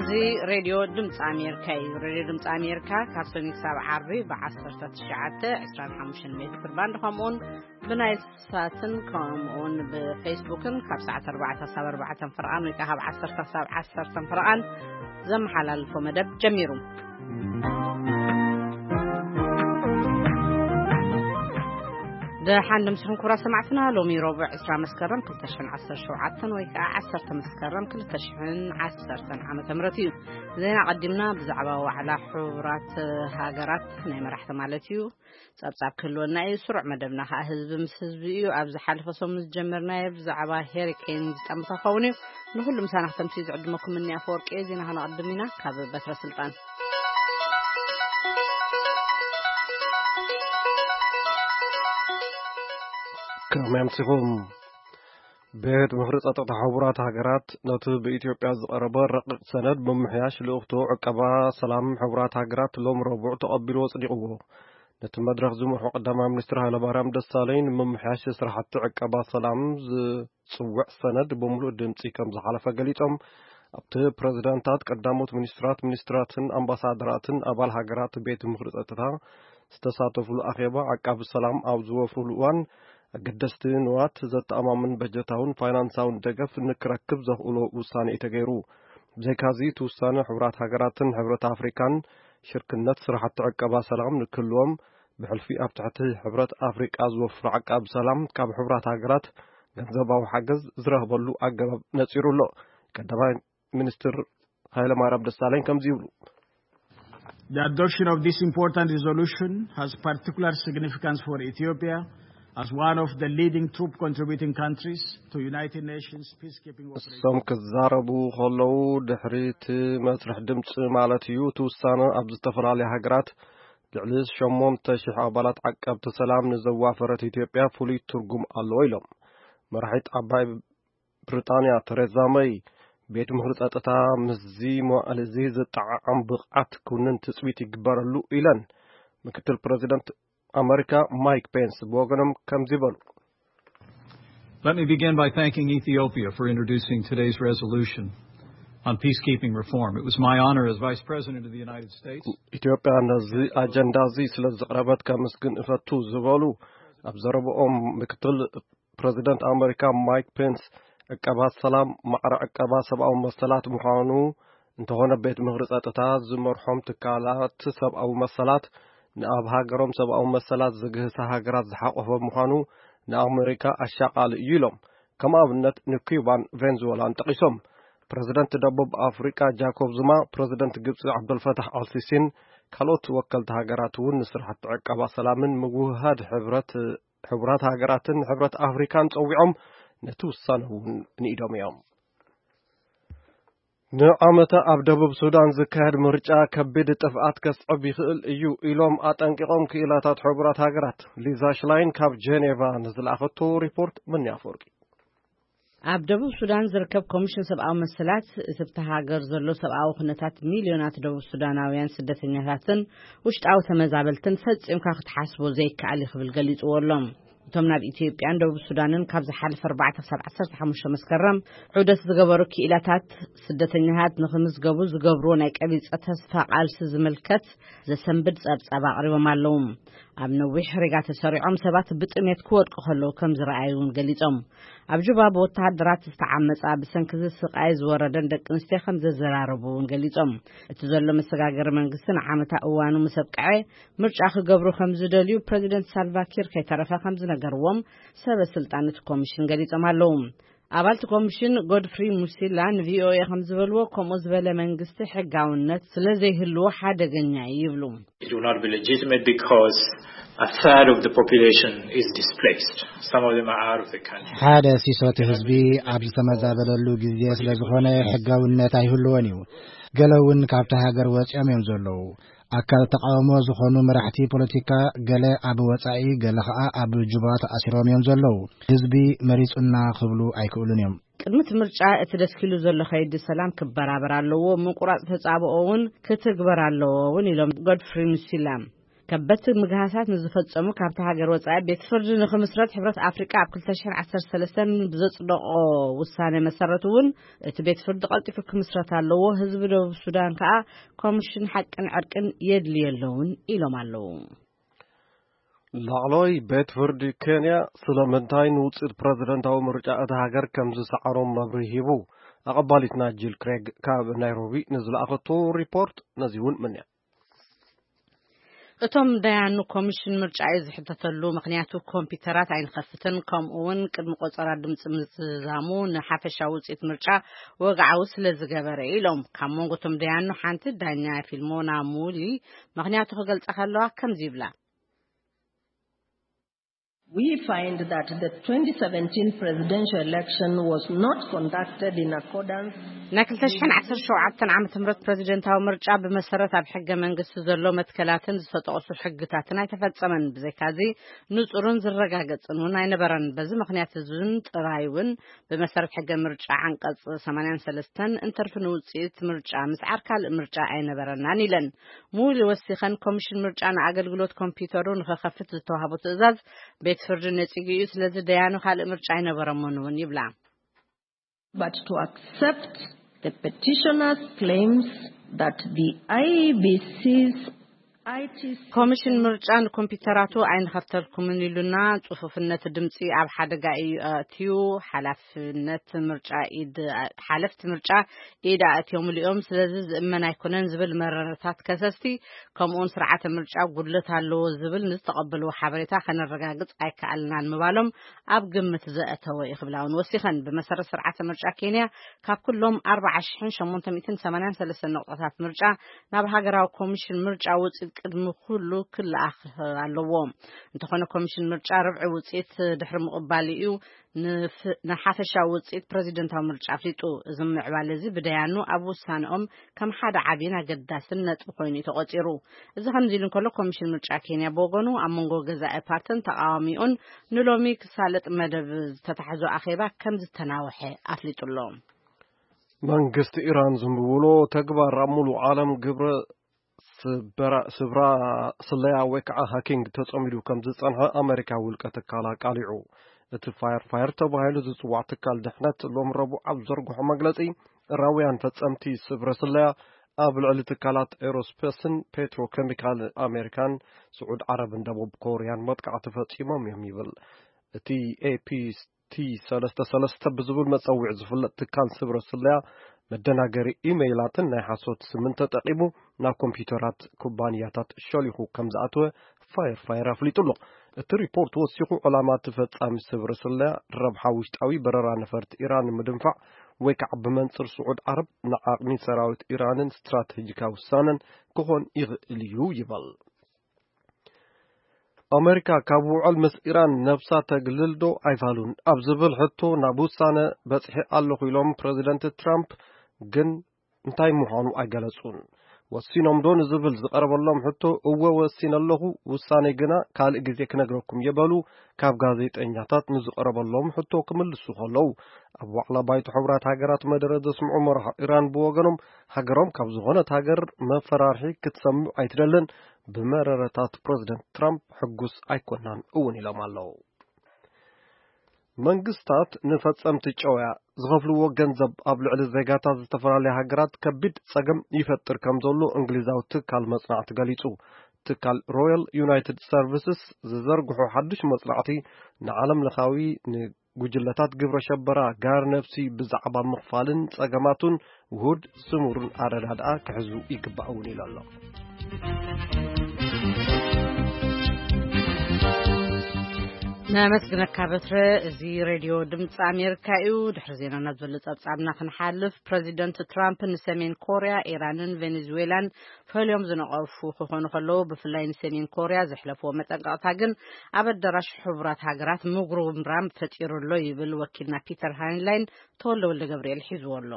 እዚ ሬድዮ ድምፂ ኣሜሪካ እዩ። ሬድዮ ድምፂ ኣሜሪካ ካብ ሰኒ ክሳብ ዓርቢ ብ1925 ሜትር ባንድ፣ ከምኡውን ብናይል ሳትን ከምኡውን ብፌስቡክን ካብ ሰዓት ኣርባዕተ ክሳብ ኣርባዕተ ፍርቓን ወይ ከዓ ካብ ዓሰርተ ክሳብ ዓሰርተ ፍርቓን ዘመሓላልፎ መደብ ጀሚሩ። ደሓን ድምስኹም ክቡራት ሰማዕትና። ሎሚ ረቡዕ ዕስራ መስከረም ክልተ ሽሕን ዓሰርተ ሸውዓተን ወይ ከዓ ዓሰርተ መስከረም ክልተ ሽሕን ዓሰርተን ዓመተ ምህረት እዩ። ዜና ቀዲምና ብዛዕባ ዋዕላ ሕቡራት ሃገራት ናይ መራሕቲ ማለት እዩ ጸብጻብ ክህልወና እዩ። ስሩዕ መደብና ከዓ ህዝቢ ምስ ህዝቢ እዩ። ኣብ ዝሓለፈ ሰሙን ዝጀመርናዮ ብዛዕባ ሄሪኬን ዝጠምታ ክኸውን እዩ። ንኹሉ ምሳና ክተምስዩ ዝዕድመኩም እኒ ኣፈወርቂ እየ። ዜና ከነቐድም ኢና ካብ በትረ ስልጣን። ከመይ ኣምሲኹም? ቤት ምኽሪ ጸጥታ ሕቡራት ሃገራት ነቲ ብኢትዮጵያ ዝቐረበ ረቂቕ ሰነድ ምምሕያሽ ልኡኽቶ ዕቀባ ሰላም ሕቡራት ሃገራት ሎም ረቡዕ ተቐቢሉ ኣጽዲቕዎ። ነቲ መድረኽ ዝመርሑ ቀዳማይ ሚኒስትር ሃይለማርያም ደሳለኝ ንምምሕያሽ ስራሕቲ ዕቀባ ሰላም ዝጽውዕ ሰነድ ብምሉእ ድምጺ ከም ዝሓለፈ ገሊጾም። ኣብቲ ፕሬዝዳንታት፣ ቀዳሞት ሚኒስትራት፣ ሚኒስትራትን ኣምባሳደራትን ኣባል ሃገራት ቤት ምኽሪ ጸጥታ ዝተሳተፉሉ ኣኼባ፣ ዓቃቢ ሰላም ኣብ ዝወፍሩሉ እዋን ኣገደስቲ ንዋት ዘተኣማምን በጀታውን ፋይናንሳውን ደገፍ ንክረክብ ዘኽእሎ ውሳኔ እዩ ተገይሩ። ብዘይካዚ እቲ ውሳነ ሕቡራት ሃገራትን ሕብረት ኣፍሪካን ሽርክነት ስራሕቲ ዕቀባ ሰላም ንክህልዎም ብሕልፊ ኣብ ትሕቲ ሕብረት ኣፍሪቃ ዝወፍሩ ዓቃቢ ሰላም ካብ ሕቡራት ሃገራት ገንዘባዊ ሓገዝ ዝረኽበሉ ኣገባብ ነጺሩ ኣሎ። ቀዳማይ ሚኒስትር ሃይለማርያም ደሳለኝ ከምዚ ይብሉ። The adoption of this important resolution has particular significance for Ethiopia as one of the leading troop contributing countries to United Nations peacekeeping operations. እሶም ክዛረቡ ከለዉ፣ ድሕሪ እቲ መስርሕ ድምፂ ማለት እዩ፣ እቲ ውሳነ ኣብ ዝተፈላለዩ ሃገራት ልዕሊ ሸሞንተ ሽሕ ኣባላት ዓቀብቲ ሰላም ንዘዋፈረት ኢትዮጵያ ፍሉይ ትርጉም ኣለዎ ኢሎም። መራሒት ዓባይ ብሪጣንያ ተሬዛ መይ፣ ቤት ምኽሪ ጸጥታ ምስዚ መዋዕል እዚ ዝጠዓዓም ብቕዓት ክውንን ትጽቢት ይግበረሉ ኢለን። ምክትል ፕሬዚደንት ኣመሪካ ማይክ ፔንስ ብወገኖም ከምዚ በሉ። Let me begin by thanking Ethiopia for introducing today's resolution on peacekeeping reform. It was my honor as Vice President of the United States. ኢትዮጵያ ነዚ ኣጀንዳ እዚ ስለ ዝቕረበት ከምስግን እፈቱ ዝበሉ ኣብ ዘረብኦም ምክትል ፕሬዚደንት ኣመሪካ ማይክ ፔንስ፣ ዕቀባ ሰላም ማዕረ ዕቀባ ሰብኣዊ መሰላት ምዃኑ እንተኾነ፣ ቤት ምኽሪ ጸጥታ ዝመርሖም ትካላት ሰብኣዊ መሰላት ንኣብ ሃገሮም ሰብኣዊ መሰላት ዝግህሳ ሃገራት ዝሓቆፈ ምዃኑ ንኣመሪካ ኣሻቓሊ እዩ ኢሎም። ከም ኣብነት ንኩባን ቬንዙዌላን ጠቒሶም። ፕሬዚደንት ደቡብ ኣፍሪቃ ጃኮብ ዙማ፣ ፕሬዚደንት ግብፂ ዓብደልፈታሕ ኣልሲሲን ካልኦት ወከልቲ ሃገራት እውን ንስራሕቲ ዕቀባ ሰላምን ምውህሃድ ሕብረት ሕቡራት ሃገራትን ሕብረት ኣፍሪካን ጸዊዖም ነቲ ውሳነ እውን ንኢዶም እዮም። ንዓመታ ኣብ ደቡብ ሱዳን ዝካየድ ምርጫ ከቢድ ጥፍኣት ከስዕብ ይኽእል እዩ ኢሎም ኣጠንቂቖም ክኢላታት ሕቡራት ሃገራት። ሊዛ ሽላይን ካብ ጀኔቫ ንዝለኣኸቶ ሪፖርት ምንያ ኣፈወርቂ። ኣብ ደቡብ ሱዳን ዝርከብ ኮሚሽን ሰብኣዊ መሰላት፣ እቲ ኣብታ ሃገር ዘሎ ሰብኣዊ ኩነታት ሚልዮናት ደቡብ ሱዳናውያን ስደተኛታትን ውሽጣዊ ተመዛበልትን ፈጺምካ ክትሓስቦ ዘይከኣል እዩ ክብል ገሊጽዎ ኣሎ። እቶም ናብ ኢትዮጵያን ደቡብ ሱዳንን ካብ ዝሓለፈ ኣርባዕተ ክሳብ ዓሰርተ ሓሙሽተ መስከረም ዑደት ዝገበሩ ክኢላታት፣ ስደተኛታት ንኽምዝገቡ ዝገብርዎ ናይ ቀቢጸ ተስፋ ቃልሲ ዝምልከት ዘሰንብድ ጸብጻብ ኣቕሪቦም ኣለዉ። ኣብ ነዊሕ ሪጋ ተሰሪዖም ሰባት ብጥሜት ክወድቁ ከለዉ ከም ዝረኣዩ እውን ገሊጾም። ኣብ ጁባ ብወተሃደራት ዝተዓመጻ፣ ብሰንኪ እዚ ስቓይ ዝወረደን ደቂ ኣንስትዮ ከም ዘዘራረቡ እውን ገሊጾም። እቲ ዘሎ መሰጋገሪ መንግስቲ ንዓመታ እዋኑ ምስ ኣብቅዐ ምርጫ ክገብሩ ከም ዝደልዩ ፕረዚደንት ሳልቫ ኪር ከይተረፈ ከም ዝነገርዎም ሰበ ስልጣን እቲ ኮሚሽን ገሊጾም ኣለዉ። ኣባል እቲ ኮሚሽን ጎድፍሪ ሙሲላ ንቪኦኤ ከም ዝበልዎ፣ ከምኡ ዝበለ መንግስቲ ሕጋውነት ስለ ዘይህልዎ ሓደገኛ እዩ ይብሉ። It will not be legitimate because a third of the population is displaced. Some of them are out of the country. ሓደ ሲሶ እቲ ህዝቢ ኣብ ዝተመዛበለሉ ግዜ ስለ ዝኾነ ሕጋውነት ኣይህልዎን እዩ። ገለ እውን ካብቲ ሃገር ወፂኦም እዮም ዘለዉ። ኣካል ተቃውሞ ዝኾኑ መራሕቲ ፖለቲካ ገለ ኣብ ወጻኢ፣ ገለ ኸኣ ኣብ ጁባ ተኣሲሮም እዮም ዘለዉ። ህዝቢ መሪጹና ክብሉ ኣይክእሉን እዮም። ቅድሚ እቲ ምርጫ እቲ ደስኪሉ ዘሎ ከይዲ ሰላም ክበራበር ኣለዎ፣ ምቁራጽ ተጻብኦ እውን ክትግበር ኣለዎ እውን ኢሎም ጎድፍሪ ሙሲላ። ከበድቲ ምግሃሳት ንዝፈጸሙ ካብቲ ሃገር ወጻኢ ቤት ፍርዲ ንኽምስረት ሕብረት ኣፍሪቃ ኣብ ክልተ ሽሕን ዓሰርተ ሰለስተን ብዘጽደቖ ውሳነ መሰረት እውን እቲ ቤት ፍርዲ ቀልጢፉ ክምስረት ኣለዎ። ህዝቢ ደቡብ ሱዳን ከኣ ኮሚሽን ሓቅን ዕርቅን የድልዮ ኣለውን ኢሎም ኣለዉ። ላዕለዋይ ቤት ፍርዲ ኬንያ ስለምንታይ ንውፅኢት ፕረዚደንታዊ ምርጫ እታ ሃገር ከም ዝሰዓሮም መብርሂ ሂቡ። ኣቐባሊትና ጂል ክሬግ ካብ ናይሮቢ ንዝለኣኸቶ ሪፖርት ነዚ እውን ምንያ። እቶም ደያኑ ኮሚሽን ምርጫ እዩ ዝሕተተሉ፣ ምኽንያቱ ኮምፒውተራት ኣይንኸፍትን፣ ከምኡ እውን ቅድሚ ቆጸራ ድምፂ ምዝዛሙ ንሓፈሻዊ ውፅኢት ምርጫ ወግዓዊ ስለ ዝገበረ ኢሎም። ካብ መንጎ እቶም ደያኑ ሓንቲ ዳኛ ፊልሞና ሙሊ ምኽንያቱ ክገልጻ ከለዋ ከምዚ ይብላ። We find that the twenty seventeen presidential election was not conducted in accordance ናይ ክልተ ሽሕን ዓሰርተ ሸውዓተን ዓመተ ምህረት ፕረዚደንታዊ ምርጫ ብመሰረት ኣብ ሕገ መንግስቲ ዘሎ መትከላትን ዝተጠቕሱ ሕግታትን ኣይተፈጸመን። ብዘይካዚ ንጹርን ዝረጋገጽን እውን ኣይነበረን። በዚ ምኽንያት እዚን ጥራይ እውን ብመሰረት ሕገ ምርጫ ዓንቀጽ ሰማንያን ሰለስተን እንተርፊ ንውጽኢት ምርጫ ምስዓር ካልእ ምርጫ ኣይነበረናን ኢለን። ሙሊ ወሲኸን ኮሚሽን ምርጫ ንኣገልግሎት ኮምፒውተሩ ንኸኸፍት ዝተዋህቦ ትእዛዝ ቤት ፍርዲ ነጺጉ እዩ። ስለዚ ደያኑ ካልእ ምርጫ ኣይነበረሞን እውን ይብላ። But to accept the petitioner's claims that the I B C's I T C ኮሚሽን ምርጫ ንኮምፒውተራቱ ኣይንኸፍተልኩምን ኢሉና፣ ጽፉፍነት ድምጺ ኣብ ሓደጋ እዩ ኣእትዩ፣ ሓላፍነት ምርጫ ኢድ ሓለፍቲ ምርጫ ኢድ ኣእትዮምሉ እዮም፣ ስለዚ ዝእመን ኣይኮነን ዝብል መረረታት ከሰስቲ፣ ከምኡውን ስርዓተ ምርጫ ጉድለት ኣለዎ ዝብል ንዝተቐበልዎ ሓበሬታ ከነረጋግጽ ኣይከኣልናን ምባሎም ኣብ ግምት ዘእተወ እዩ ክብላ እውን ወሲኸን። ብመሰረት ስርዓተ ምርጫ ኬንያ ካብ ኩሎም ኣርባዓ ሽሕን ሸሞንተ ሚእትን ሰማንያን ሰለስተን ነቑጣታት ምርጫ ናብ ሃገራዊ ኮሚሽን ምርጫ ውፅኢት ቅድሚ ኩሉ ክለኣኽ ኣለዎ። እንተኾነ ኮሚሽን ምርጫ ርብዒ ውፅኢት ድሕሪ ምቕባል እዩ ንፍ- ንሓፈሻዊ ውፅኢት ፕረዚደንታዊ ምርጫ ኣፍሊጡ። እዚ ምዕባለ እዚ ብደያኑ ኣብ ውሳነኦም ከም ሓደ ዓብይን ኣገዳስን ነጥቢ ኮይኑ እዩ ተቖፂሩ። እዚ ከምዚ ኢሉ እንከሎ ኮሚሽን ምርጫ ኬንያ ብወገኑ ኣብ መንጎ ገዛኢ ፓርትን ተቃዋሚኡን ንሎሚ ክሳለጥ መደብ ዝተታሕዞ ኣኼባ ከም ዝተናውሐ ኣፍሊጡ ኣሎ። መንግስቲ ኢራን ዝምብብሎ ተግባር ኣብ ሙሉእ ዓለም ግብረ ስበራ- ስብራ ስለያ ወይ ከዓ ሃኪንግ ተጸሚዱ ከም ዝጸንሐ ኣመሪካ ውልቀ ትካል ኣቃሊዑ። እቲ ፋየር ፋየር ተባሂሉ ዝጽዋዕ ትካል ድሕነት ሎም ረቡዕ ኣብ ዘርግሖ መግለጺ ራውያን ፈጸምቲ ስብረ ስለያ ኣብ ልዕሊ ትካላት ኤሮስፔስን ፔትሮኬሚካል ኣሜሪካን ስዑድ ዓረብን ደቡብ ኮርያን መጥቃዕቲ ፈጺሞም እዮም ይብል። እቲ ኤፒቲ ሰለስተ ሰለስተ ብዝብል መጸውዒ ዝፍለጥ ትካል ስብረ ስለያ መደናገሪ ኢሜይላትን ናይ ሓሶት ስምን ተጠቂሙ ናብ ኮምፒውተራት ኩባንያታት ሸሊኹ ከም ዝኣተወ ፋየር ፋየር ኣፍሊጡ ኣሎ። እቲ ሪፖርት ወሲኹ ዕላማ እቲ ፈጻሚ ስብረ ስለያ ረብሓ ውሽጣዊ በረራ ነፈርቲ ኢራን ንምድንፋዕ ወይ ከዓ ብመንፅር ስዑድ ዓረብ ንዓቕሚ ሰራዊት ኢራንን ስትራቴጂካዊ ውሳነን ክኾን ይኽእል እዩ ይበል። ኣመሪካ ካብ ውዕል ምስ ኢራን ነብሳ ተግልል ዶ ኣይፋሉን ኣብ ዝብል ሕቶ ናብ ውሳነ በፅሒ ኣለኹ ኢሎም ፕረዚደንት ትራምፕ ግን እንታይ ምዃኑ ኣይገለጹን። ወሲኖም ዶ ንዝብል ዝቐረበሎም ሕቶ እወ ወሲነ ኣለኹ፣ ውሳኔ ግና ካልእ ግዜ ክነግረኩም የበሉ ካብ ጋዜጠኛታት ንዝቐረበሎም ሕቶ ክምልሱ ከለዉ ኣብ ዋዕላ ባይቶ ሕቡራት ሃገራት መደረ ዘስምዑ መራሒ ኢራን ብወገኖም ሃገሮም ካብ ዝኾነት ሃገር መፈራርሒ ክትሰምዕ ኣይትደልን፣ ብመረረታት ፕረዚደንት ትራምፕ ሕጉስ ኣይኮናን እውን ኢሎም ኣለዉ። መንግስታት ንፈጸምቲ ጨውያ ዝኸፍልዎ ገንዘብ ኣብ ልዕሊ ዜጋታት ዝተፈላለያ ሃገራት ከቢድ ጸገም ይፈጥር ከም ዘሎ እንግሊዛዊ ትካል መጽናዕቲ ገሊጹ። ትካል ሮያል ዩናይትድ ሰርቪስስ ዝዘርግሖ ሓድሽ መጽናዕቲ ንዓለም ለኻዊ ንጉጅለታት ግብረ ሸበራ ጋር ነፍሲ ብዛዕባ ምኽፋልን ጸገማቱን ውሁድ ስሙርን ኣረዳድኣ ክሕዙ ይግባእ እውን ኢሉ ኣሎ። ነመስግነካ በትረ። እዚ ሬድዮ ድምፂ ኣሜሪካ እዩ። ድሕሪ ዜና ናብ ዘሎ ጸብጻብና ክንሓልፍ፣ ፕረዚደንት ትራምፕ ንሰሜን ኮርያ፣ ኢራንን ቬኔዙዌላን ፈልዮም ዝነቐፉ ክኾኑ ከለዉ፣ ብፍላይ ንሰሜን ኮርያ ዘሕለፍዎ መጠንቀቕታ ግን ኣብ ኣዳራሽ ሕቡራት ሃገራት ምጉርምራም ፈጢሩ ኣሎ ይብል ወኪልና ፒተር ሃይንላይን። ተወልደ ወልደ ገብርኤል ሒዝዎ ኣሎ።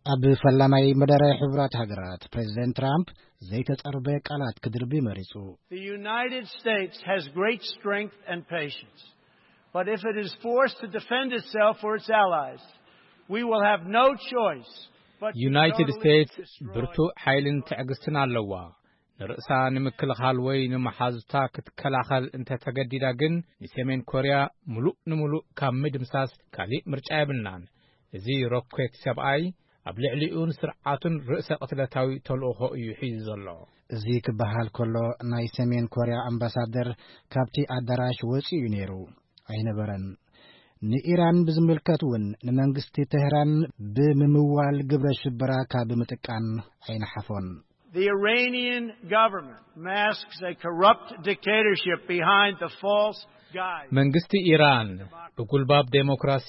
ኣብ ፈላማይ መደረ ሕቡራት ሃገራት ፕሬዚደንት ትራምፕ ዘይተጸርበ ቃላት ክድርቢ መሪጹ። The United States has great strength and patience, but if it is forced to defend itself or its allies, we will have no choice but to ዩናይትድ totally ስቴትስ destroy ብርቱዕ ሓይልን ትዕግስትን ኣለዋ። ንርእሳ ንምክልኻል ወይ ንመሓዙታ ክትከላኸል እንተተገዲዳ ግን፣ ንሰሜን ኮርያ ምሉእ ንምሉእ ካብ ምድምሳስ ካሊእ ምርጫ የብልናን። እዚ ሮኬት ሰብኣይ ኣብ ልዕሊኡን ስርዓቱን ርእሰ ቅትለታዊ ተልእኾ እዩ ሒዙ ዘሎ። እዚ ክበሃል ከሎ፣ ናይ ሰሜን ኮርያ ኣምባሳደር ካብቲ ኣዳራሽ ወጺኡ እዩ ነይሩ። ኣይነበረን። ንኢራን ብዝምልከት እውን ንመንግስቲ ተህራን ብምምዋል ግብረ ሽበራ ካብ ምጥቃን ኣይነሓፎን። The Iranian government masks a corrupt dictatorship behind the false guise. መንግስቲ ኢራን ብጉልባብ ዴሞክራሲ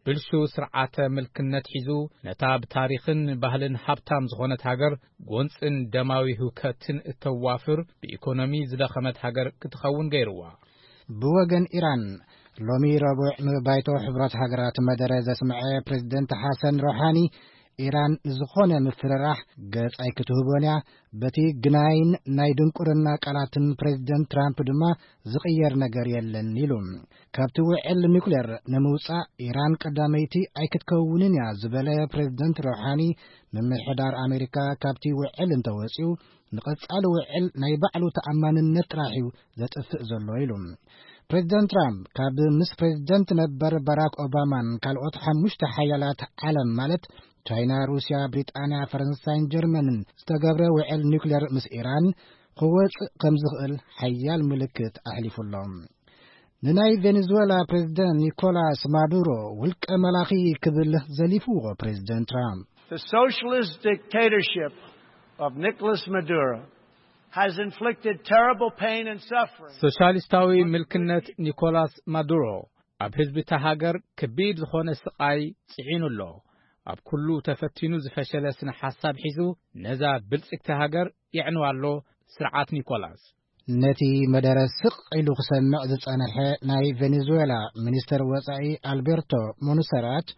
ብልሹ ስርዓተ ምልክነት ሒዙ፣ ነታ ብታሪኽን ባህልን ሃብታም ዝኾነት ሃገር ጎንጽን ደማዊ ህውከትን እተዋፍር፣ ብኢኮኖሚ ዝደኸመት ሃገር ክትኸውን ገይርዋ። ብወገን ኢራን፣ ሎሚ ረቡዕ ንባይቶ ሕብረት ሃገራት መደረ ዘስምዐ ፕሬዝደንት ሓሰን ሮሓኒ፣ ኢራን ንዝኾነ ምፍርራሕ ገጽ ኣይክትህቦን እያ፣ በቲ ግናይን ናይ ድንቁርና ቃላትን ፕሬዝደንት ትራምፕ ድማ ዝቕየር ነገር የለን ኢሉ። ካብቲ ውዕል ኒውክሌር ንምውጻእ ኢራን ቀዳመይቲ ኣይክትከውንን እያ ዝበለ ፕሬዝደንት ሮሓኒ፣ ምምሕዳር ኣሜሪካ ካብቲ ውዕል እንተወጺኡ ንቐጻሊ ውዕል ናይ ባዕሉ ተኣማንነት ጥራሕ እዩ ዘጥፍእ ዘሎ ኢሉ። ፕሬዝደንት ትራምፕ ካብ ምስ ፕሬዝደንት ነበር ባራክ ኦባማን ካልኦት ሓሙሽተ ሓያላት ዓለም ማለት ቻይና፣ ሩስያ፣ ብሪጣንያ፣ ፈረንሳይን ጀርመንን ዝተገብረ ውዕል ኒውክሌር ምስ ኢራን ክወጽእ ከም ዝኽእል ሓያል ምልክት ኣሕሊፉ ኣሎ። ንናይ ቬኔዙዌላ ፕሬዝደንት ኒኮላስ ማዱሮ ውልቀ መላኺ ክብል ዘሊፍዎ ፕሬዝደንት ትራምፕ። The socialist dictatorship of Nicolas Maduro has inflicted terrible pain and suffering. ሶሻሊስታዊ ምልክነት ኒኮላስ ማዱሮ ኣብ ህዝቢ እታ ሃገር ከቢድ ዝኾነ ስቓይ ጽዒኑ ኣሎ። ኣብ ኩሉ ተፈቲኑ ዝፈሸለ ስነ ሓሳብ ሒዙ ነዛ ብልጽግቲ ሃገር የዕንዋ ኣሎ ስርዓት ኒኮላስ። ነቲ መደረ ስቕ ኢሉ ክሰምዕ ዝጸንሐ ናይ ቬኔዙዌላ ሚኒስተር ወጻኢ ኣልቤርቶ ሞንሰራት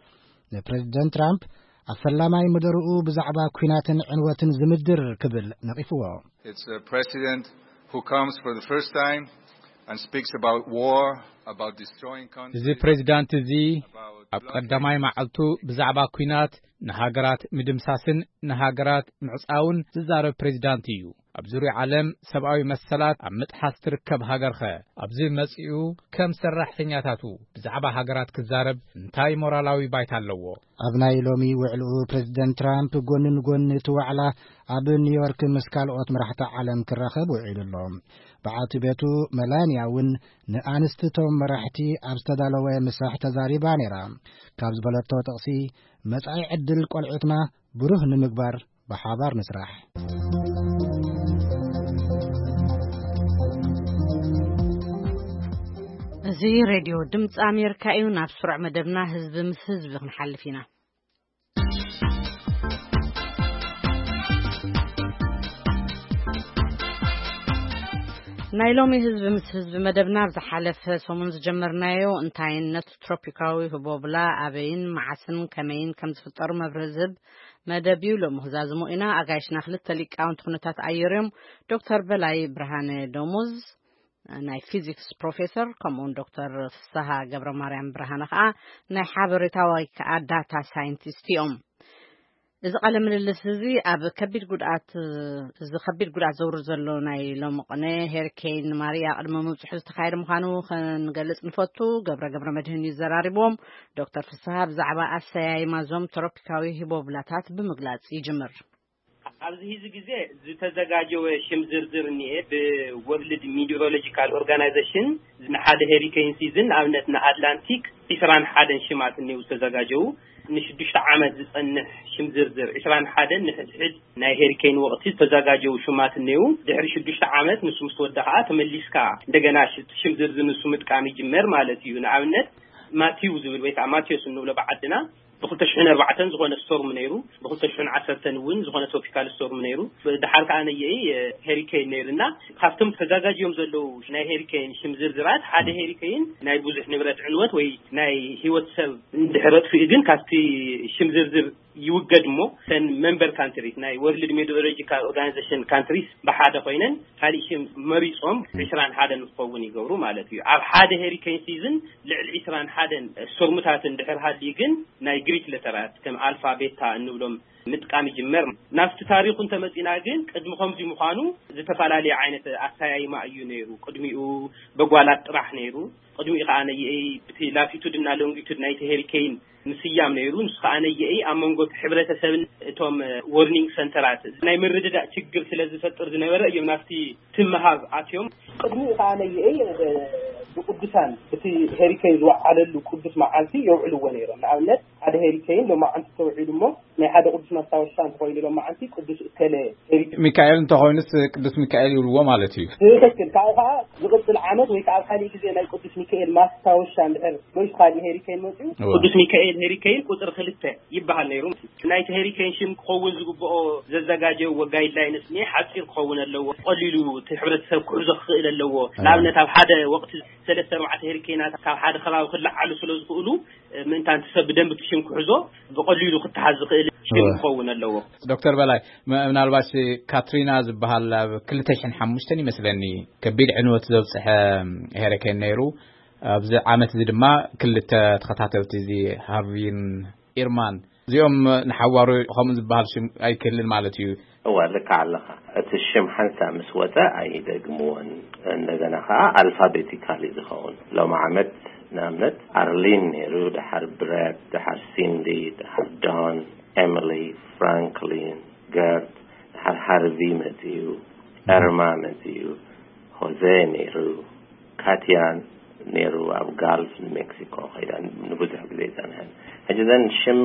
ንፕሬዝደንት ትራምፕ ኣብ ፈላማይ መደርኡ ብዛዕባ ኲናትን ዕንወትን ዝምድር ክብል ነቒፍዎ። It's a president who comes for the first time and speaks about war, about destroying countries, እዚ ፕሬዝዳንት እዚ ኣብ ቀዳማይ መዓልቱ ብዛዕባ ኲናት፣ ንሃገራት ምድምሳስን ንሃገራት ምዕጻውን ዝዛረብ ፕሬዝዳንት እዩ። ኣብ ዙርያ ዓለም ሰብኣዊ መሰላት ኣብ ምጥሓስ ትርከብ ሃገርኸ ኣብዚ መጺኡ ከም ሰራሕተኛታቱ ብዛዕባ ሃገራት ክዛረብ እንታይ ሞራላዊ ባይታ ኣለዎ? ኣብ ናይ ሎሚ ውዕልኡ ፕሬዝደንት ትራምፕ ጎኒ ንጎኒ እቲ ዋዕላ ኣብ ኒውዮርክ ምስ ካልኦት መራሕቲ ዓለም ክራኸብ ውዒሉ ኣሎ። በዓልቲ ቤቱ መላንያ እውን ንኣንስቲ እቶም መራሕቲ ኣብ ዝተዳለወ ምሳሕ ተዛሪባ ነይራ። ካብ ዝበለቶ ጥቕሲ፣ መጻኢ ዕድል ቆልዑትና ብሩህ ንምግባር ብሓባር ንስራሕ። እዚ ሬድዮ ድምፂ ኣሜሪካ እዩ። ናብ ስሩዕ መደብና ህዝቢ ምስ ህዝቢ ክንሓልፍ ኢና። ናይ ሎሚ ህዝቢ ምስ ህዝቢ መደብና ኣብ ዝሓለፈ ሰሙን ዝጀመርናዮ እንታይነት ትሮፒካዊ ህቦብላ ኣበይን መዓስን ከመይን ከም ዝፍጠሩ መብርሂ ዝህብ መደብ እዩ። ሎሚ ክዛዝሞ ኢና። ኣጋይሽና ክልተ ሊቃውንቲ ኩነታት ኣየር እዮም። ዶክተር በላይ ብርሃነ ደሞዝ ናይ ፊዚክስ ፕሮፌሰር፣ ከምኡውን ዶክተር ፍስሃ ገብረ ማርያም ብርሃነ ከዓ ናይ ሓበሬታ ወይ ከዓ ዳታ ሳይንቲስት እዮም። እዚ ቃለ ምልልስ እዚ ኣብ ከቢድ ጉድኣት፣ እዚ ከቢድ ጉድኣት ዘውርድ ዘሎ ናይ ሎሚ ቅነ ሄሪኬን ማርያ ቅድሚ ምብፅሑ ዝተኻየደ ምዃኑ ክንገልፅ ንፈቱ። ገብረ ገብረ መድህን እዩ ዘራሪብዎም። ዶክተር ፍስሃ ብዛዕባ ኣሰያይማ እዞም ትሮፒካዊ ሂቦብላታት ብምግላፅ ይጅምር። ኣብዚ ሕዚ ግዜ ዝተዘጋጀወ ሽም ዝርዝር እኒኤ። ብወርልድ ሚቲሮሎጂካል ኦርጋናይዜሽን ንሓደ ሄሪኬን ሲዝን፣ ንኣብነት ንኣትላንቲክ ዒስራን ሓደን ሽማት እኒው ዝተዘጋጀዉ። ንሽዱሽተ ዓመት ዝጸንሕ ሽም ዝርዝር፣ ዒስራን ሓደን ንሕድሕድ ናይ ሄሪኬን ወቕቲ ዝተዘጋጀዉ ሽማት እኒው። ድሕሪ ሽዱሽተ ዓመት ንሱ ምስ ተወዳ ኸዓ ተመሊስካ እንደገና ሽ-፣ ሽም ዝርዝር ንሱ ምጥቃም ይጅመር ማለት እዩ። ንኣብነት ማቲው ዝብል ወይ ከዓ ማቴዎስ እንብሎ ብዓድና ብኽልተ ሽሕን ኣርባዕተን ዝኾነ ስቶርም ነይሩ፣ ብኽልተ ሽሕን ዓሰርተን እውን ዝኾነ ትሮፒካል ስቶርም ነይሩ። ብድሓር ከዓ ነየኢ ሄሪኬን ነይሩ እና ካብቶም ተዘጋጅዮም ዘለዉ ናይ ሄሪኬን ሽም ዝርዝራት ሓደ ሄሪኬን ናይ ብዙሕ ንብረት ዕንወት ወይ ናይ ህይወት ሰብ እንድሕር ኣጥፊኡ ግን ካብቲ ሽም ዝርዝር ይውገድ እሞ፣ ተን መንበር ካንትሪስ ናይ ወርልድ ሜትሮሎጂካል ኦርጋናይዜሽን ካንትሪስ ብሓደ ኮይነን ካሊእ ሽም መሪጾም ዕስራን ሓደን ክኸውን ይገብሩ ማለት እዩ። ኣብ ሓደ ሄሪኬን ሲዝን ልዕሊ ዕስራን ሓደን ስቶርምታት እንድሕር ሃልዩ ግን ናይ ግሪክ ለተራት ከም ኣልፋ ቤታ እንብሎም ምጥቃም ይጅመር። ናብቲ ታሪኹ እንተመጺና ግን ቅድሚ ከምዚ ምዃኑ ዝተፈላለየ ዓይነት ኣሰያይማ እዩ ነይሩ። ቅድሚኡ በጓላት ጥራሕ ነይሩ። ቅድሚኡ ከዓ ነየኤይ ብቲ ላቲቱድ እና ሎንጊቱድ ናይቲ ሄሪኬን ምስያም ነይሩ። ንሱ ከዓ ነየኤይ ኣብ መንጎ እቲ ሕብረተሰብን እቶም ወርኒንግ ሰንተራት ናይ ምርድዳእ ችግር ስለ ዝፈጥር ዝነበረ እዮም ናብቲ ትምሃብ ኣትዮም። ቅድሚኡ ከዓ ነየኤይ ብቅዱሳን እቲ ሄሪኬን ዝወዓለሉ ቅዱስ መዓልቲ የውዕልዎ ነይሮም። ንኣብነት ሓደ ሄሪኬን ሎማዓንቲ ተውዒሉ እሞ ናይ ሓደ ቅዱስ ማስታወሻ እንተኮይኑ ሎማዓንቲ ቅዱስ እከለ ሄሪኬን። ሚካኤል እንተኮይኑስ ቅዱስ ሚካኤል ይብልዎ ማለት እዩ። ትክክል። ካብኡ ከዓ ዝቅፅል ዓመት ወይ ከዓ ኣብ ካሊእ ግዜ ናይ ቅዱስ ሚካኤል ማስታወሻ እንድሕር ወይ ካሊእ ሄሪኬን መፅዩ እወ። ቅዱስ ሚካኤል ሄሪኬን ቁፅሪ ክልተ ይበሃል ነይሩ። ናይቲ ሄሪኬን ሽም ክኸውን ዝግብኦ ዘዘጋጀዎ ጋይድላይንስ እኒኤ ሓፂር ክኸውን ኣለዎ። ቀሊሉ እቲ ሕብረተሰብ ክሕዞ ክኽእል ኣለዎ። ንኣብነት ኣብ ሓደ ወቅቲ ሰለስተ ኣርባዕተ ሄሪኬናት ካብ ሓደ ከባቢ ክለዓሉ ስለ ዝኽእሉ ምእንታን እቲ ሰብ ብደንቢ እቲ ሽም ክሕዞ ብቐሊሉ ክተሓዝ ዝኽእል ሽም እወ። ክኸውን ኣለዎ። ዶክተር በላይ፣ ም- ምናልባት ካትሪና ዝበሃል ኣብ ክልተ ሽሕን ሓሙሽተን ይመስለኒ ከቢድ ዕንወት ዘብፅሐ ሄሪኬን ነይሩ። ኣብዚ ዓመት እዚ ድማ ክልተ ተኸታተልቲ፣ እዚ ሃርቪን ኢርማን፣ እዚኦም ንሓዋሩ ከምኡ ዝበሃል ሽም ኣይክህልን ማለት እዩ። እወ፣ ልክዕ ኣለኻ። እቲ ሽም ሓንሳብ ምስ ወፀ ኣይደግምዎን። እንደገና ከዓ ኣልፋቤቲካሊ ዝኸውን ሎም ዓመት ንኣብነት ኣርሊን ነይሩ፣ ድሓር ብረት፣ ድሓር ሲንዲ፣ ድሓር ዶን፣ ኤሚሊ፣ ፍራንክሊን፣ ገርት፣ ድሓር ሃርቪ መፅዩ፣ ኤርማ መፅዩ፣ ሆዜ ነይሩ፣ ካትያን ነይሩ። ኣብ ጋልፍ ንሜክሲኮ ከይዳ ንብዙሕ ግዜ ይፀንሐን። ሕጂ ዘን ሽም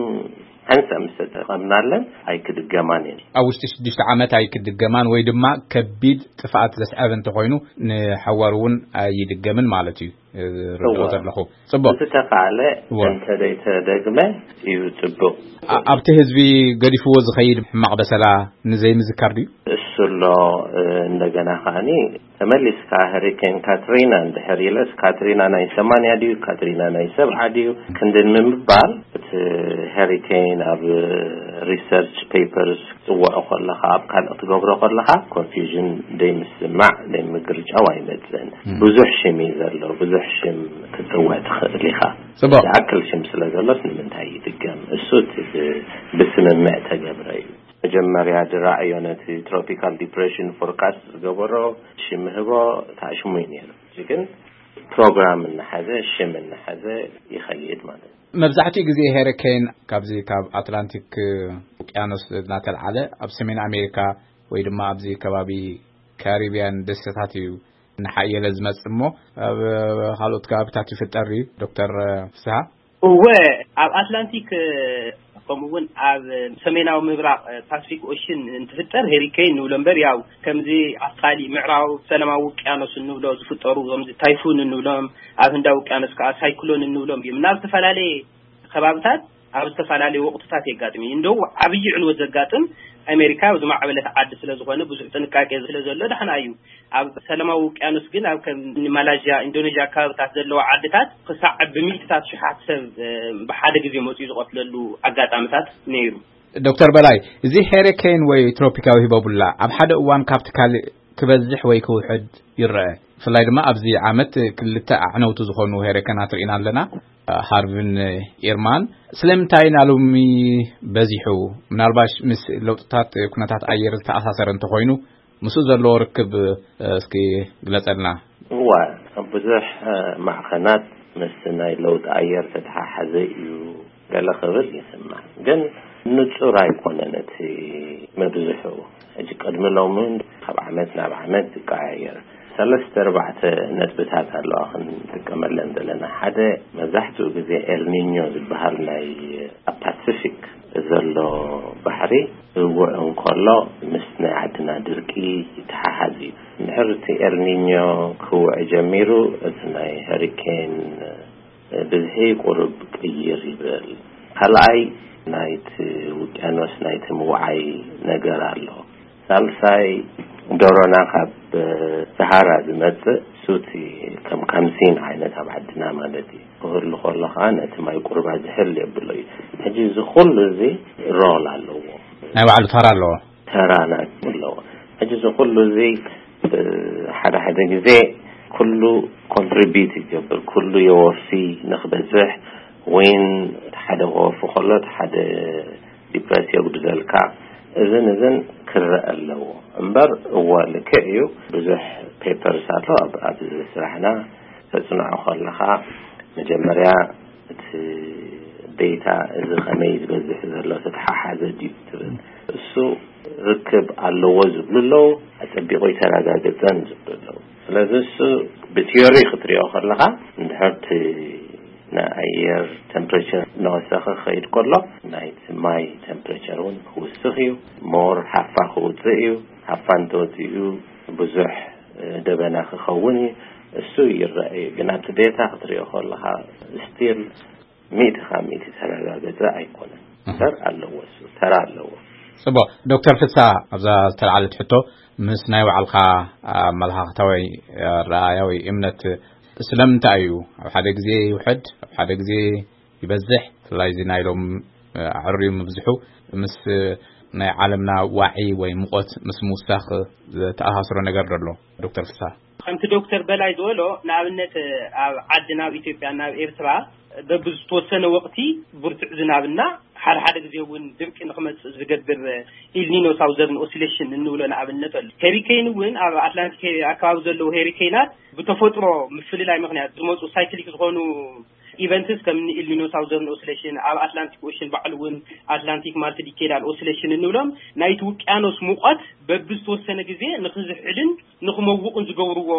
ሓንሳብ ምስ ተጠቐምናለን ኣይክድገማን እየን። ኣብ ውሽጢ ሽዱሽተ ዓመት ኣይክድገማን ወይ ድማ ከቢድ ጥፍኣት ዘስዐበ እንተኮይኑ ንሓዋሩ እውን ኣይድገምን ማለት እዩ። ርድኦ እወ። ዘለኹ። ጽቡቕ። ዝተኻለ እወ። እንተደይተደግመ እዩ ጽቡቕ። ኣ- ኣብቲ ህዝቢ ገዲፍዎ ዝኸይድ ሕማቕ በሰላ ንዘይምዝካር ድዩ? እሱ ኣሎ። እ፣ እንደገና ከዓኒ ተመሊስካ ሄሪኬን ካትሪና እንድሕር ኢለስ፣ ካትሪና ናይ ሰማንያ ድዩ፣ ካትሪና ናይ ሰብዓ ድዩ፣ ክንድን ንምባል እቲ ሄሪኬን ኣብ ሪሰርች ፔፐርስ ክትጽውዖ ከለኻ፣ ኣብ ካልእ ክትገብሮ ከለኻ፣ ኮንፊውዥን ደይምስማዕ፣ ደይምግርጫው ኣይመጽእን። ም። ብዙሕ ሽም እዩ ዘሎ፣ ብዙሕ ሽም ክትጽውዕ ትኽእል ኢኻ። ጽቡቕ። ዝኣክል ሽም ስለ ዘሎስ ንምንታይ ይድገም? እሱ እቲ ብ-፣ ብስምምዕ ተገብረ እዩ። መጀመርያ ዝረኣዮ ነቲ ትሮፒካል ዲፕሬሽን ፎርካስት ዝገበሮ ሽም ህቦ ተኣሽሙ እዩ ነይሩ። እዚ ግን ፕሮግራም እናሓዘ፣ ሽም እናሓዘ ይኸይድ ማለት እዩ። መብዛሕትኡ ግዜ ሄሪኬን ካብዚ ካብ ኣትላንቲክ ውቅያኖስ እናተልዓለ ኣብ ሰሜን ኣሜሪካ ወይ ድማ ኣብዚ ከባቢ ካሪቢያን ደሴታት እዩ እናሓየለ ዝመጽእ እሞ፣ ኣብ ካልኦት ከባቢታት ይፍጠር እዩ። ዶክተር ፍስሃ? እወ፣ ኣብ ኣትላንቲክ፣ ከምኡ እውን ኣብ ሰሜናዊ ምብራቕ ፓሲፊክ ኦሽን እንትፍጠር ሄሪኬን ንብሎ እምበር፣ ያው ከምዚ ኣብ ካሊእ ምዕራብ ሰላማዊ ውቅያኖስ እንብሎ ዝፍጠሩ፣ ከምዚ ታይፉን እንብሎም፣ ኣብ ህንዳዊ ውቅያኖስ ከዓ ሳይክሎን እንብሎም እዮም። ናብ ዝተፈላለየ ከባብታት ኣብ ዝተፈላለየ ወቅትታት የጋጥም እዩ። እንደው ዓብዪ ዕንወት ዘጋጥም ኣሜሪካ ዝማዕበለት ዓዲ ስለ ዝኾነ ብዙሕ ጥንቃቄ ስለ ዘሎ ደሕና እዩ። ኣብ ሰላማዊ ውቅያኖስ ግን ኣብ ከም ማላዥያ፣ ኢንዶኔዥያ ከባብታት ዘለዋ ዓድታት ክሳዕ ብሚእትታት ሽሓት ሰብ፣ እ፣ ብሓደ ግዜ መፅኡ ዝቐትለሉ ኣጋጣሚታት ነይሩ። ዶክተር በላይ፣ እዚ ሄሪኬን ወይ ትሮፒካዊ ሂቦቡላ ኣብ ሓደ እዋን ካብቲ ካልእ ክበዝሕ ወይ ክውሕድ ይረአ። ብፍላይ ድማ ኣብዚ ዓመት ክልተ ኣዕነውቲ ዝኾኑ ሄሪኬናት ርኢና ኣለና፣ ሃርቪን ኢርማን። ስለምንታይ ናሎሚ በዚሑ? ምናልባሽ ምስ ለውጥታት ኩነታት ኣየር ዝተኣሳሰረ እንተኾይኑ፣ ምስኡ ዘለዎ ርክብ፣ እ፣ እስኪ ግለጸልና። እዋ፣ ብዙሕ፣ እ፣ ማዕኸናት ምስ ናይ ለውጢ ኣየር ተተሓሓዘ እዩ ገለ ክብል ይስማዕ። ግን ንጹር ኣይኮነን እቲ ምብዝሑ። ሕጂ ቅድሚ ሎሚ ካብ ዓመት ናብ ዓመት ይቀያየር። ሰለስተ ኣርባዕተ ነጥብታት ኣለዋ ክንጥቀመለን ዘለና። ሓደ፣ መብዛሕትኡ ግዜ ኤልኒኞ ዝበሃል ናይ ኣብ ፓሲፊክ ዘሎ ባሕሪ ክውዕ እንከሎ ምስ ናይ ዓድና ድርቂ ይተሓሓዝ እዩ። እንድሕር እቲ ኤልኒኞ ክውዕ ጀሚሩ፣ እቲ ናይ ሄሪኬን ብዝሒ ቁሩብ ቅይር ይብል። ካልኣይ፣ ናይቲ ውቅያኖስ ናይቲ ምውዓይ ነገር ኣሎ። ሳልሳይ፣ ዶሮና ካብ ሰሃራ ዝመጽእ ሱቲ ከም ካምሲን ዓይነት ኣብ ዓድና ማለት እዩ። ክህሉ ከሎ ከዓ ነቲ ማይ ቁርባ ዝሕል የብሎ እዩ። ሕጂ እዚ ኩሉ እዚ ሮል ኣለዎ። ናይ ባዕሉ ተራ ኣለዎ። ተራ ናይ ኣለዎ። ሕጂ እዚ ኩሉ እዚ ሓደ ሓደ ግዜ ኩሉ ኮንትሪቢዩት ይገብር፣ ኩሉ የወፊ ንክበዝሕ፣ ወይን ሓደ ክወፊ ከሎ ሓደ ዲፕረስ የጉድለልካ። እዝን እዝን ክረአ ኣለዎ እምበር፣ እወ ልክዕ እዩ። ብዙሕ ፔፐርስ ኣሎ ኣብ ኣብዚ ስራሕና። ተፅንዖ ከለኻ መጀመርያ እቲ ዴታ እዚ ከመይ ዝበዝሕ ዘሎ ተተሓሓዘ ድዩ ትብል፣ እሱ ርክብ ኣለዎ ዝብሉ ኣለዉ፣ ኣጸቢቑ ኣይተረጋገጸን ዝብሉ ኣለዉ። ስለዚ እሱ ብቲዮሪ ክትሪኦ ከለኻ፣ እንድሕር እቲ ናይ ኣየር ቴምፕሬቸር እናወሰኸ ክኸይድ ከሎ፣ ናይቲ ማይ ቴምፕሬቸር እውን ክውስኽ እዩ። ሞር ሃፋ ክውፅእ እዩ። ሃፋ እንተወፂኡ ብዙሕ ደበና ክኸውን እዩ። እሱ ይረአ እዩ። ግን ኣብቲ ዴታ ክትሪኦ ከለኻ፣ ስቲል ሚእቲ ካብ ሚእቲ ተረጋገፀ ኣይኮነን። እምበር ኣለዎ፣ እሱ ተራ ኣለዎ። ጽቡቕ። ዶክተር ፍሳ፣ ኣብዛ ዝተልዓለት ሕቶ፣ ምስ ናይ ባዕልኻ ኣመለኻኽታ ወይ ኣረኣእያ ወይ እምነት፣ ስለምንታይ እዩ ኣብ ሓደ ግዜ ይውሕድ፣ ኣብ ሓደ ግዜ ይበዝሕ? ብፍላይ እዚ ናይ ሎም ኣዕርዩ ምብዝሑ ምስ ናይ ዓለምና ዋዒ ወይ ሙቐት ምስ ምውሳኽ ዝተኣሳስሮ ነገር ዶ ኣሎ? ዶክተር ፍሳ። ከምቲ ዶክተር በላይ ዝበሎ፣ ንኣብነት ኣብ ዓድና፣ ኣብ ኢትዮጵያ፣ ናብ ኤርትራ፣ በብዝተወሰነ ወቕቲ ብርቱዕ ዝናብና፣ ሓደ ሓደ ግዜ እውን ድርቂ ንክመጽእ ዝገብር ኢልኒኖ ሳውዘርን ኦሲሌሽን እንብሎ ንኣብነት ኣሎ። ሄሪኬን እውን ኣብ ኣትላንቲክ ኣካባቢ ዘለዉ ሄሪኬናት ብተፈጥሮ ምፍልላይ ምኽንያት ዝመጹ ሳይክሊክ ዝኾኑ ኢቨንትስ ከም ኢልኒኖ ሳውዘርን ኦሲሌሽን፣ ኣብ ኣትላንቲክ ኦሽን ባዕሉ እውን ኣትላንቲክ ማልቲዲኬዳል ኦሲሌሽን እንብሎም፣ ናይቲ ውቅያኖስ ሙቐት በብዝተወሰነ ግዜ ንክዝሕልን ንክመውቕን ዝገብርዎ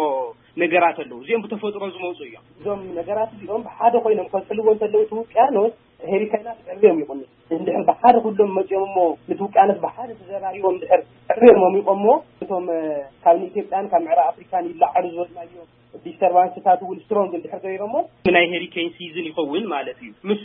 ነገራት ኣለዉ። እዚኦም ብተፈጥሮ ዝመጹ እዮም። እዞም ነገራት እዚኦም ብሓደ ኮይኖም ከዝሕልዎ እንተለዉ፣ እቲ ውቅያኖስ ሄሪካይናት ዕርዮም ይኹን እንድሕር ብሓደ ኩሎም መጺኦም እሞ፣ ነቲ ውቅያኖስ ብሓደ ተዘራሪቦም እንድሕር ዕርዮም ኣሚቖሞ፣ እቶም፣ እ፣ ካብ ንኢትዮጵያን ካብ ምዕራብ ኣፍሪካን ይለዓሉ ዝበልናዮ ዲስተርባንስታት እውን ስትሮንግ እንድሕር ገይሮሞ፣ ናይ ሄሪኬን ሲዝን ይኸውን ማለት እዩ። ምስ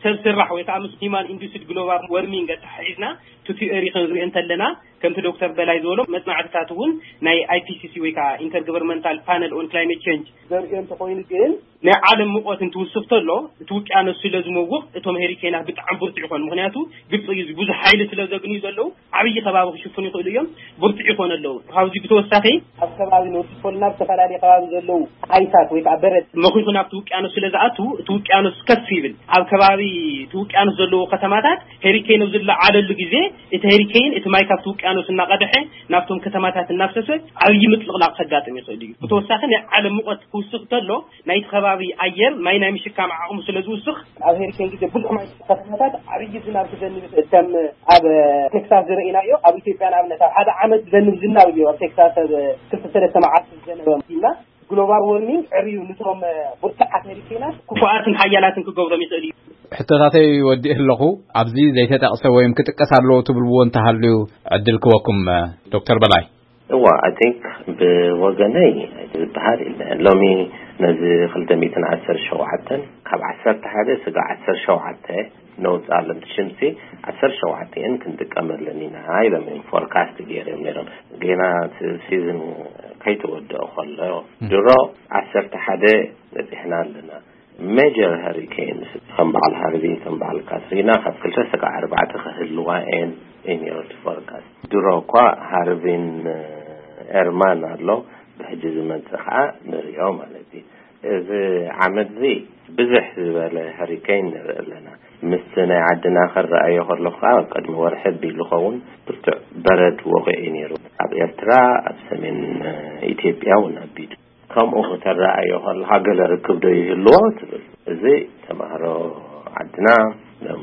ሰብ ስራሕ ወይ ከዓ ምስ ሂማን ኢንዱስድ ግሎባል ወርሚንግ ኣተሓሒዝና እቲ ቲዮሪ ክንሪኦ እንተለና፣ ከምቲ ዶክተር በላይ ዝበሎ፣ መጽናዕትታት እውን ናይ ኣይ ፒ ሲ ሲ ወይ ከዓ ኢንተርገቨርንመንታል ፓነል ኦን ክላይሜት ቼንጅ ዘርእዮ እንተኾይኑ፣ ግን ናይ ዓለም ሙቐት እንትውስኽ ተሎ፣ እቲ ውቅያኖስ ስለ ዝመውቕ፣ እቶም ሄሪኬናት ብጣዕሚ ብርቱዕ ይኾኑ። ምኽንያቱ ግብፂ እዩ፣ ብዙሕ ሓይሊ ስለ ዘግንዩ ዘለዉ፣ ዓብዪ ከባቢ ክሽፍኑ ይኽእሉ እዮም፣ ብርቱዕ ይኾኑ ኣለዉ። ካብዚ ብተወሳኺ፣ ኣብ ከባቢ ኖርዝ ፖል ናብ ዝተፈላለየ ከባቢ ዘለዉ ኣይሳት ወይ ከዓ በረድ መኺኹ ናብቲ ውቅያኖስ ስለ ዝኣቱ፣ እቲ ውቅያኖስ ከፍ ይብል። ኣብ ከባቢ እቲ ውቅያኖስ ዘለዉ ከተማታት ሄሪኬን ኣብ ዝለዓለሉ ግዜ፣ እቲ ሄሪኬን እቲ ማይ ካብቲ ውቅያኖስ እናቐድሐ ናብቶም ከተማታት እናፍሰሰ ዓብዪ ምጥልቕላቕ ከጋጥም ይኽእል እዩ። ብተወሳኺ ናይ ዓለም ሙቐት ክውስኽ ከሎ ናይቲ ከባቢ ኣየር ማይ ናይ ምሽካም ዓቕሙ ስለ ዝውስኽ፣ ኣብ ሄሪኬን ግዜ ብዙሕ ማይ፣ ከተማታት ዓብዪ ዝናብ ክዘንብ ይኽእል። ከም ኣብ ቴክሳስ ዝረኢናዮ፣ ኣብ ኢትዮጵያ ንኣብነት ኣብ ሓደ ዓመት ዝዘንብ ዝናብ እዩ ኣብ ቴክሳስ ኣብ ክልተ ሰለስተ መዓልቲ ዝዘነበ ኢልና። ግሎባል ዎርሚንግ ዕርዩ ንቶም ብርቱዓት ሄሪኬናት ክፉኣትን ሓያላትን ክገብሮም ይኽእል እዩ። ሕቶታተይ ወዲእ ኣለኹ። ኣብዚ ዘይተጠቕሰ ወይም ክጥቀስ ኣለዎ ትብልዎ እንተሃልዩ ዕድል ክወኩም፣ ዶክተር በላይ። እዋ፣ I think ብወገነይ ዝበሃል የለን። ሎሚ ነዚ ክልተ ሚእትን ዓሰርተ ሸውዓተን፣ ካብ ዓሰርተ ሓደ ስጋ ዓሰርተ ሸውዓተ ነውፃለን ሽምሲ ዓሰርተ ሸውዓተ እየን ክንጥቀመለን ኢና ኢሎም እዮም ፎርካስት ገይሮም ነይሮም። ጌና እቲ ሲዝን ከይተወደኦ ከሎ ድሮ ዓሰርተ ሓደ በፂሕና ኣለና። ሜጀር ሃሪኬንስ ከም በዓል ሃርቪ፣ ከም በዓል ካትሪና ካብ ክልተ ስጋዕ ኣርባዕተ ክህልዋ እየን ኢን ዮር ፎርካስት። ድሮ እኳ ሃርቪን ኤርማን ኣሎ፣ ብሕጂ ዝመጽእ ከዓ ንሪኦ ማለት እዩ። እዚ ዓመት እዚ ብዝሕ ዝበለ ሃሪኬን ንርኢ ኣለና። ምስቲ ናይ ዓድና ክረኣዮ ከለኹ ከዓ ኣብ ቅድሚ ወርሒ ኣቢሉ ኸውን ብርቱዕ በረድ ወቒዑ እዩ ነይሩ። ኣብ ኤርትራ፣ ኣብ ሰሜን ኢትዮጵያ እውን ኣቢሉ። ከምኡ ክተረኣዮ ከለኻ ገለ ርክብ ዶ ይህልዎ ትብል። እዚ ተማሃሮ ዓድና ሎም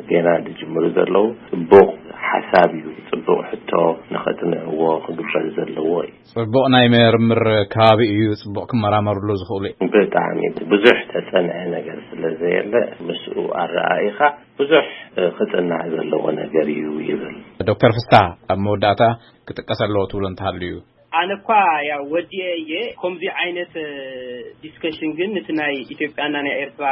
ጌና ዝጅምሩ ዘለዉ ጽቡቕ ሓሳብ እዩ፣ ጽቡቕ ሕቶ ንኸጥንዕዎ ክግበር ዘለዎ እዩ። ጽቡቕ ናይ ምርምር ከባቢ እዩ፣ ጽቡቕ ክመራመርሉ ዝኽእሉ እዩ። ብጣዕሚ ብዙሕ ተጸንዐ ነገር ስለ ዘየለ ምስኡ ኣረኣኢኻ ብዙሕ ክጽናዕ ዘለዎ ነገር እዩ ይብል። ዶክተር ፍስሓ፣ ኣብ መወዳእታ ክጥቀስ ኣለዎ ትብሎ እንተሃልዩ? ኣነ እኳ ያው ወዲኤ እየ። ከምዚ ዓይነት ዲስከሽን ግን ነቲ ናይ ኢትዮጵያና ናይ ኤርትራ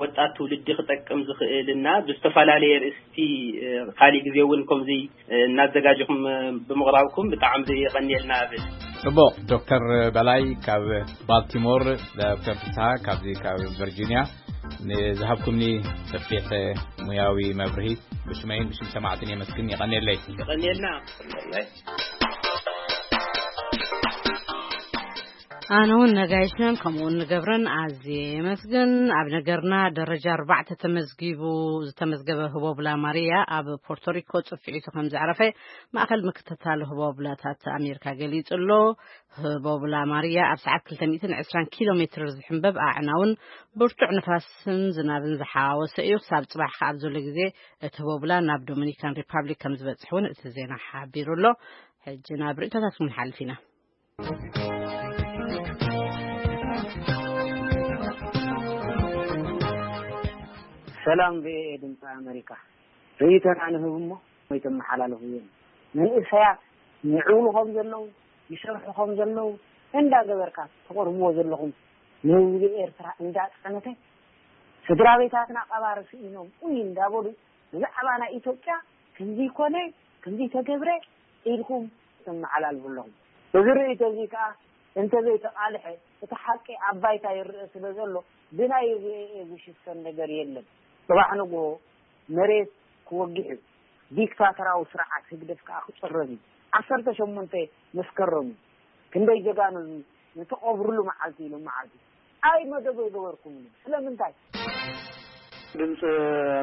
ወጣት ትውልዲ ክጠቅም ዝኽእል እና ብዝተፈላለየ ርእስቲ፣ እ፣ ካሊእ ግዜ እውን ከምዚ፣ እ፣ እናዘጋጀኹም፣ እ፣ ብምቕራብኩም ብጣዕሚ የቐንየልና እብል። ጽቡቕ። ዶክተር በላይ ካብ ባልቲሞር፣ ዶክተር ፍስሓ ካብዚ ካብ ቨርጂኒያ፣ ንዝሃብኩምኒ ሰፊሕ ሙያዊ መብርሂ ብሽመይን ብሽም ሰማዕትን የመስግን። የቐንየለይ። የቐንየልና። ኣነ እውን ነጋይሽን ከምኡ እውን ንገብረን ኣዝየ የመስግን። ኣብ ነገርና ደረጃ ኣርባዕተ ተመዝጊቡ ዝተመዝገበ ህቦብላ ማርያ ኣብ ፖርቶሪኮ ጽፍዒቱ ከም ዘዕረፈ ማእከል ምክትታል ህቦብላታት ኣሜሪካ ገሊጹ ኣሎ። ህቦብላ ማርያ ኣብ ሰዓት ክልተ ሚእትን ዕስራን ኪሎ ሜትር ዝሕንበብ ኣዕናውን ብርቱዕ ንፋስን ዝናብን ዝሓዋወሰ እዩ። ክሳብ ጽባሕ ከኣ ኣብ ዘሎ ግዜ እቲ ህቦብላ ናብ ዶሚኒካን ሪፓብሊክ ከም ዝበጽሕ እውን እቲ ዜና ሓቢሩ ኣሎ። ሕጂ ናብ ርእይቶታትኩም ንሓልፍ ኢና። ሰላም ቪኦኤ ድምፂ ኣሜሪካ። ርእይቶና ንህብ እሞ ወይ ተመሓላልፉ እዮም። መንእሰያት ይዕውሉ ከም ዘለዉ፣ ይሰርሑ ከም ዘለዉ እንዳገበርካ ተቕርብዎ ዘለኹም፣ ንህዝቢ ኤርትራ እንዳጸነተ፣ ስድራ ቤታትና ቀባሪ ስኢኖም ኡይ እንዳበሉ ብዛዕባ ናይ ኢትዮጵያ ከምዚ ኮነ፣ ከምዚ ተገብረ ኢልኩም ተመሓላልፉ ኣለኹም። እዚ ርእይቶ እዚ ከኣ እንተዘይተቓልሐ፣ እቲ ሓቂ ኣብ ባይታ ይረአ ስለ ዘሎ፣ ብናይ ቪኦኤ ዝሽፈን ነገር የለን። ጽባሕ ንግሆ መሬት ክወግሕ እዩ። ዲክታተራዊ ስርዓት ህግደፍ ከኣ ክጽረግ እዩ። ዓሰርተ ሸሞንተ መስከረም እዩ። ክንደይ ጀጋኑ ንትቐብርሉ መዓልቲ ኢሎም መዓልቲ። ኣይ መደብ ኣይገበርኩምን። ስለምንታይ? ድምፂ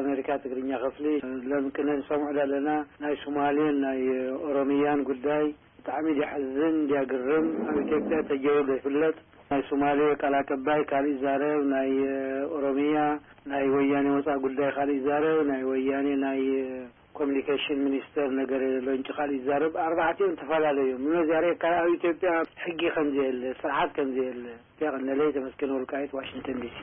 ኣሜሪካ ትግርኛ ክፍሊ፣ ሎም ቅነ ንሰምዑ ዘለና ናይ ሶማሌን ናይ ኦሮሚያን ጉዳይ ብጣዕሚ ድያ ሕዝን ድያ ግርም። ኣብ ኢትዮጵያ ተጀሩ ዘይፍለጥ፣ ናይ ሶማሌ ቃል ኣቀባይ ካልእ ይዛረብ፣ ናይ ኦሮሚያ ናይ ወያኔ ወፃኢ ጉዳይ ካልእ ይዛረብ፣ ናይ ወያኔ ናይ ኮሚኒኬሽን ሚኒስተር ነገር ሎንጭ ካልእ ይዛረብ። ኣርባዕቲኦም ተፈላለዩ እዮም። ምነዚያ ሬካ ኣብ ኢትዮጵያ ሕጊ ከም ዘየለ፣ ስርዓት ከም ዘየለ። የቐነለይ። ተመስገን ወልቃይት፣ ዋሽንግተን ዲሲ።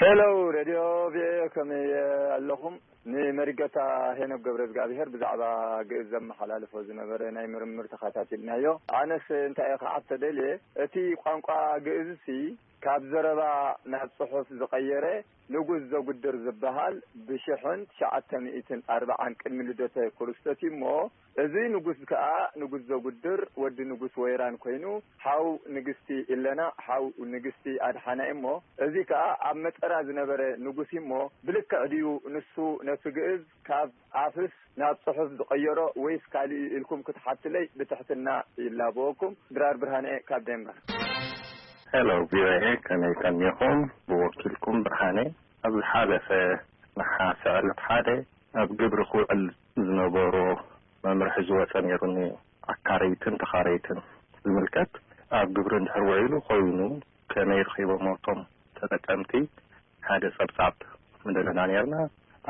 ሄሎ ሬድዮ ቪኦኤ፣ ከመይ ኣለኹም? ንመሪገታ ሄኖክ ገብረ እግዚኣብሔር ብዛዕባ ግእዝ ዘመሓላልፎ ዝነበረ ናይ ምርምር ተኸታቲልናዮ። ኣነስ እንታይ እየ ክሓቶ ደልየ፣ እቲ ቋንቋ ግእዝሲ ካብ ዘረባ ናብ ጽሑፍ ዝቐየረ ንጉስ ዘጉድር ዝበሃል ብሽሕን ትሽዓተ ሚእትን ኣርባዓን ቅድሚ ልደተ ክርስቶስ እዩ እሞ፣ እዚ ንጉስ ከኣ ንጉስ ዘጉድር ወዲ ንጉስ ወይራን ኮይኑ፣ ሓው ንግስቲ ኢለና፣ ሓው ንግስቲ ኣድሓና እዩ እሞ፣ እዚ ከኣ ኣብ መጠራ ዝነበረ ንጉስ እዩ እሞ፣ ብልክዕ ድዩ ንሱ ነቲ ግእዝ ካብ ኣፍስ ናብ ጽሑፍ ዝቐየሮ ወይስ ካልእ ኢልኩም ክትሓትለይ ብትሕትና ይላበወኩም። ድራር ብርሃነ ካብ ዴንማርክ። ሄሎ ቪኦኤ፣ ከመይ ቀኒኹም? ብወኪልኩም ብርሃነ፣ ኣብ ዝሓለፈ ነሓሰ ዕለት ሓደ ኣብ ግብሪ ክውዕል ዝነበሮ መምርሒ ዝወፀ ነይሩኒ፣ ኣካረይትን ተኻረይትን ዝምልከት። ኣብ ግብሪ እንድሕር ውዒሉ ኮይኑ ከመይ ረኺቦሞ እቶም ተጠቀምቲ ሓደ ጸብጻብ ምደለና ነርና።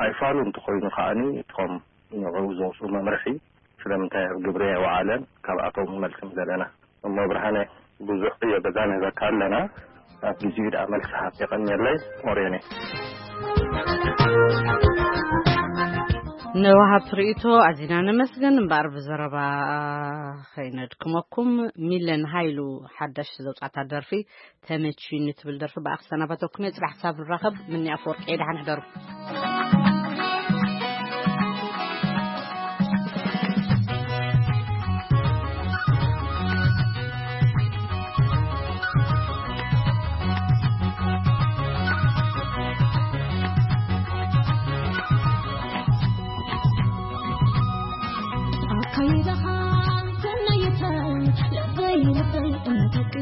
ኣይፋሉ እንተኾይኑ ከዓኒ እቶም ንዕኡ ዘውፅኡ መምርሒ ስለምንታይ ኣብ ግብሪ ኣይወዓለን ካብኣቶም መልሲ ምደለና። እሞ ብርሃነ ብዙሕ ዕዮ ገዛ ንህበካ ኣለና። ኣብ ግዜኡ ደኣ መልሲ ሃብ። የቐንየለይ። ኦርዮን እየ። ንወሃብቲ ርእይቶ ኣዚና ነመስግን። እምበኣር ብዘረባ ኸይነድክመኩም፣ ሚለን ሃይሉ ሓዳሽ ዘውጻእታ ደርፊ ተመችዩኒ ትብል ደርፊ ብኣኽ ሰናባተኩም እየ። ጽባሕ ክሳብ ንራኸብ፣ ምኒ ኣፈወርቂ እየ። ደሓን ሕደሩ። ኣካይዳኻ ተመይተ ልበይ ልበይ እንተቅ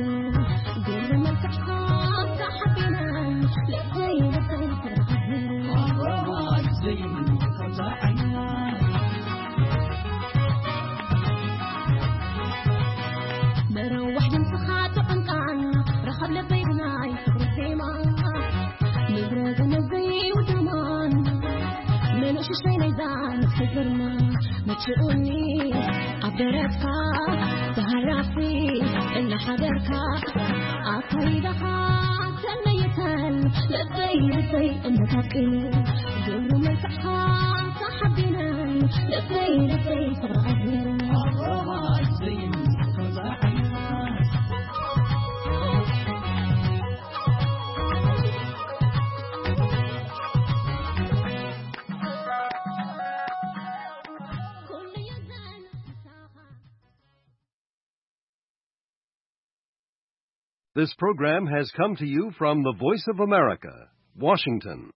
ግር መልክዕኻ ተሓቢነ ልበይ ልበይ ተረኻቢነ መረዋሕ ድምፅኻ ተቐንቃን ረኸብ ልበይ ብናይ ፍቕሪ ዜማ ምድረ ገነት ዘይውድማን ምንሽሻይ ናይዛ ነፍሲ ግርማ መችኡኒ ኣብ ደረትካ ተሃራፊ እናሓደርካ ኣካይዳኻ ተመይተን ልበይ ልበይ እንታቅን ግብሩ መልክዕኻ ተሓቢነን ልበይ ልበይ ፍቕሪ ኣዝሚሩ This program has come to you from the Voice of America, Washington.